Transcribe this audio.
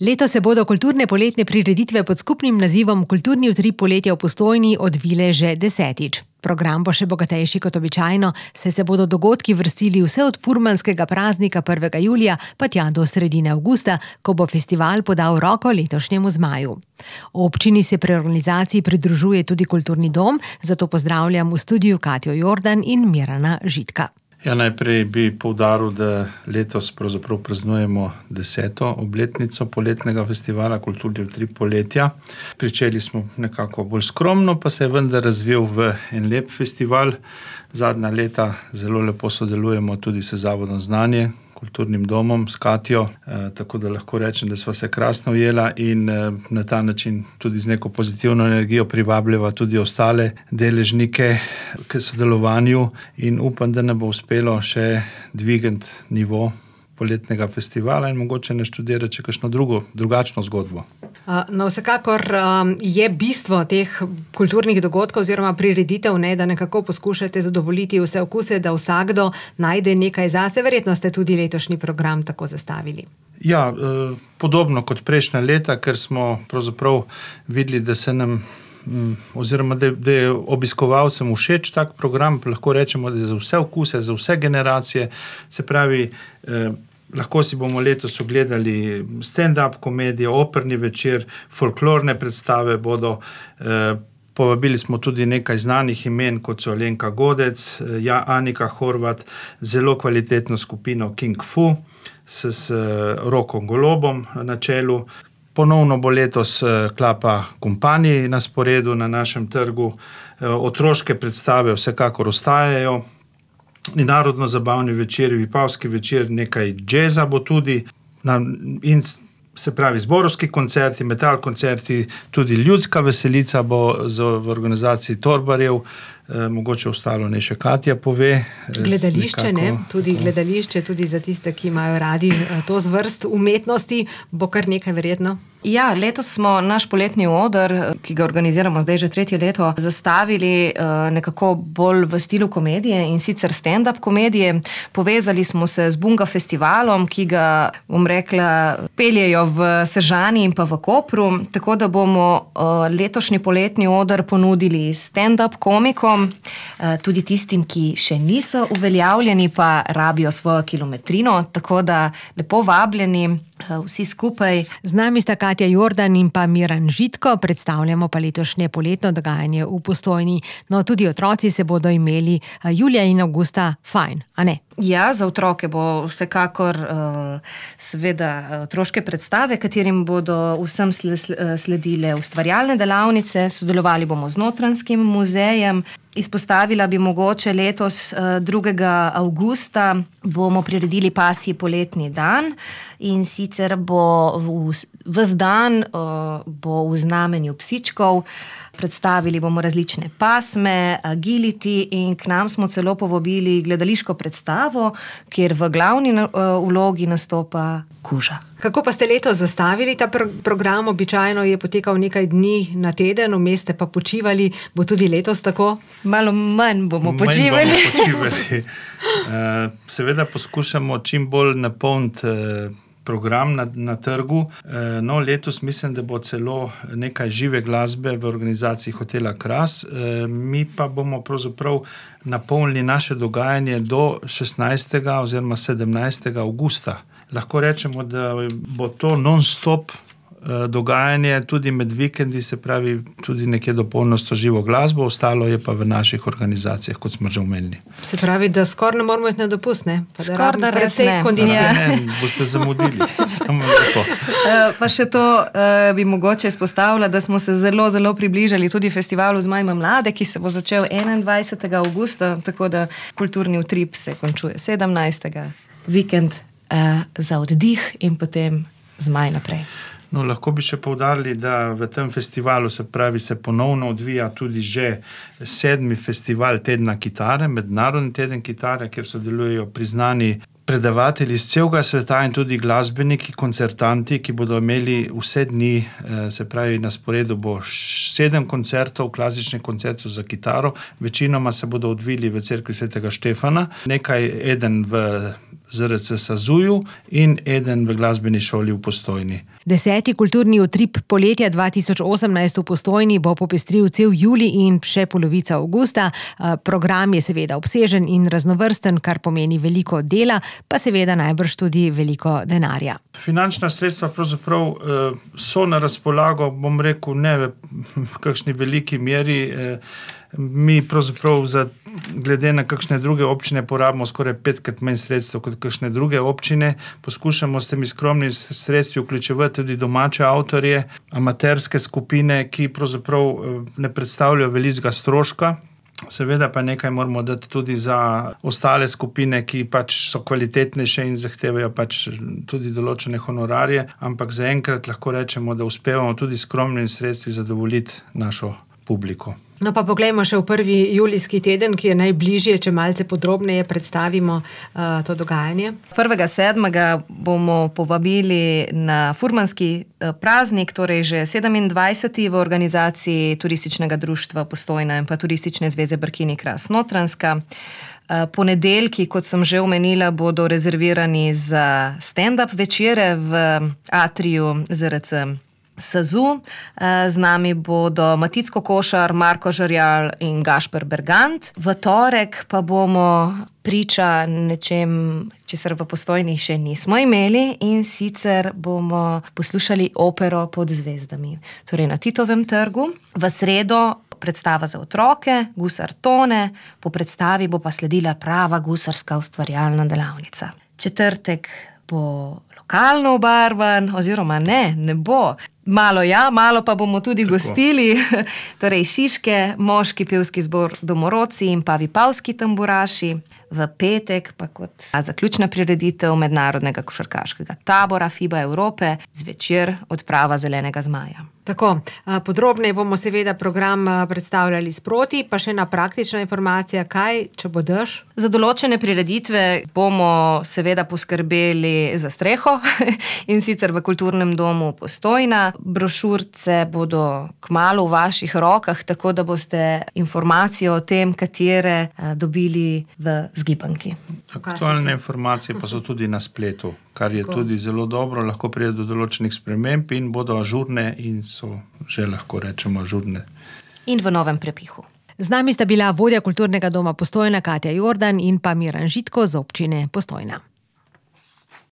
Letos se bodo kulturne poletne prireditve pod skupnim nazivom Kulturni utrip poletja v Postojni odvile že 10. Program bo še bogatejši kot običajno, saj se bodo dogodki vrstili vse od furmanskega praznika 1. julija pa tja do sredine avgusta, ko bo festival podal roko letošnjemu zmaju. Občini se pri organizaciji pridružuje tudi Kulturni dom, zato pozdravljam v studiu Katjo Jordan in Mirana Žitka. Ja, najprej bi poudaril, da letos pravzaprav praznujemo 10. obletnico poletnega festivala Kulturni utrip poletja. Pričeli smo nekako bolj skromno, pa se je vendar razvil v en lep festival. Zadnja leta zelo lepo sodelujemo tudi s Zavodom Znanje, Kulturnim domom, s Katjo, tako da lahko rečem, da sva se krasno ujela in na ta način tudi z neko pozitivno energijo privabljava tudi ostale deležnike k sodelovanju in upam, da ne bo uspelo še dvigati nivo poletnega festivala in mogoče ne študirati še kakšno drugačno zgodbo. No, vsekakor je bistvo teh kulturnih dogodkov oziroma prireditev, da nekako poskušate zadovoljiti vse okuse, da vsakdo najde nekaj zase. Verjetno ste tudi letošnji program tako zastavili. Ja, podobno kot prejšnja leta, ker smo pravzaprav videli, da se nam oziroma da je obiskovalcem všeč tak program, lahko rečemo, da je za vse okuse, za vse generacije, se pravi, lahko si bomo letos ogledali stand-up komedijo, operni večer, folklorne predstave bodo, povabili smo tudi nekaj znanih imen, kot so Alenka Godec, Anika Horvat, zelo kvalitetno skupino King Fu s Rokom Golobom na čelu. Ponovno bo letos Klapa Kompani na sporedu na našem trgu. Otroške predstave vsekakor ostajajo. Narodno-zabavni večer, vipavski večer, nekaj džeza bo tudi. In se pravi zborovski koncerti, metal koncerti, tudi ljudska veselica bo v organizaciji Torbarjev. Mogoče ostalo ne še Katja pove. Gledališče, tudi gledališče, tudi za tiste, ki imajo radi to zvrst umetnosti, bo kar nekaj verjetno. Ja, letos smo naš poletni oder, ki ga organiziramo zdaj že 3. leto, zastavili nekako bolj v stilu komedije in sicer stand-up komedije. Povezali smo se z Bunga festivalom, ki ga, bom rekla, peljejo v Sežani in pa v Kopru, tako da bomo letošnji poletni oder ponudili stand-up komikom, tudi tistim, ki še niso uveljavljeni, pa rabijo svojo kilometrino, tako da lepo vabljeni vsi skupaj. Z nami sta Katja Jordan in pa Miran Žitko, predstavljamo pa letošnje poletno dogajanje v Postojni. No, tudi otroci se bodo imeli julija in avgusta fajn, a ne? Ja, za otroke bo vsekakor seveda otroške predstave, katerim bodo vsem sledile ustvarjalne delavnice, sodelovali bomo z Notranjskim muzejem. Izpostavila bi mogoče letos 2. avgusta bomo priredili pasji poletni dan in sicer bo ves dan bo v znamenju psičkov. Predstavili bomo različne pasme, agility in k nam smo celo povabili gledališko predstavo, kjer v glavni vlogi nastopa kuža. Kako pa ste letos zastavili ta program? Običajno je potekal nekaj dni na teden, vmes ste pa počivali. Bo tudi letos tako? Malo manj bomo počivali. Seveda poskušamo čim bolj napolniti program na trgu. No, letos mislim, da bo celo nekaj žive glasbe v organizaciji Hotela Kras. Mi pa bomo pravzaprav napolnili naše dogajanje do 16. oziroma 17. avgusta. Lahko rečemo, da bo to non-stop dogajanje tudi med vikendi, se pravi tudi nekje do polnosti živo glasbo, ostalo je pa v naših organizacijah, kot smo že omenili. Se pravi, da skoraj ne moramo iti na dopust, ne? Skoraj da res ne. Ne, boste zamudili. Samo lepo. Pa še to bi mogoče izpostavila, da smo se zelo, zelo približali tudi festivalu Zmajma mlade, ki se bo začel 21. avgusta, tako da kulturni utrip se končuje 17. Vikend za oddih in potem zmaj naprej. No, lahko bi še poudarili, da v tem festivalu se ponovno odvija tudi že 7. festival Tedna kitare, Mednarodni teden kitare, kjer sodelujejo priznani predavatelji iz celega sveta in tudi glasbeniki, koncertanti, ki bodo imeli vse dni, se pravi na sporedu bo 7 koncertov, klasičnih koncertov za kitaro, večinoma se bodo odvili v cerkvi Svetega Štefana, nekaj eden v ZRC Sazuju in eden v glasbeni šoli v Postojni. 10. kulturni utrip poletja 2018 v Postojni bo popestril cel julij in še polovica avgusta. Program je seveda obsežen in raznovrsten, kar pomeni veliko dela, pa seveda najbrž tudi veliko denarja. Finančna sredstva pravzaprav so na razpolago, bom rekel, ne v kakšni veliki meri. Mi pravzaprav glede na kakšne druge občine porabimo skoraj 5krat manj sredstev kot kakšne druge občine. Poskušamo s temi skromnimi sredstvi vključevati tudi domače avtorje, amaterske skupine, ki pravzaprav ne predstavljajo velikega stroška. Seveda pa nekaj moramo dati tudi za ostale skupine, ki pač so kvalitetnejše in zahtevajo pač tudi določene honorarje, ampak zaenkrat lahko rečemo, da uspevamo tudi skromnimi sredstvi zadovoljiti našo publiko. No pa poglejmo še v prvi julijski teden, ki je najbližje, če malce podrobneje predstavimo to dogajanje. 1.7. bomo povabili na furmanski praznik, torej že 27. v organizaciji Turističnega društva Postojna in pa Turistične zveze Brkini Kras Notranjska. Ponedeljki, kot sem že omenila, bodo rezervirani za stand-up večere v atriju ZRC Sazu. Z nami bodo Matic Kokošar, Marko Žerjal in Gašper Bergant. V torek pa bomo priča nečem, česar v Postojni še nismo imeli, in sicer bomo poslušali opero Pod zvezdami. Torej na Titovem trgu. V sredo predstava za otroke, Gusar Tone, po predstavi bo pa sledila prava gusarska ustvarjalna delavnica. Četrtek bo lokalno obarvan, oziroma ne bo. Malo ja, malo pa bomo tudi gostili, torej Šiške, moški pevski zbor Domorodci in pa Vipavski tamburaši. V petek pa kot zaključna prireditev mednarodnega košarkaškega tabora FIBA Evrope zvečer odprava Zelenega zmaja. Tako, podrobneje bomo seveda program predstavljali sproti, pa še ena praktična informacija, kaj, če bo dež? Za določene prireditve bomo seveda poskrbeli za streho in sicer v Kulturnem domu Postojna. Brošurce bodo kmalu v vaših rokah, tako da boste informacijo o tem, katere dobili v zgibanki. Aktualne informacije pa so tudi na spletu, kar je tudi zelo dobro, lahko pride do določenih sprememb in bodo ažurne in so že lahko rečemo ažurne. In v novem prepihu. Z nami sta bila vodja Kulturnega doma Postojna Katja Jordan in pa Miran Žitko z občine Postojna.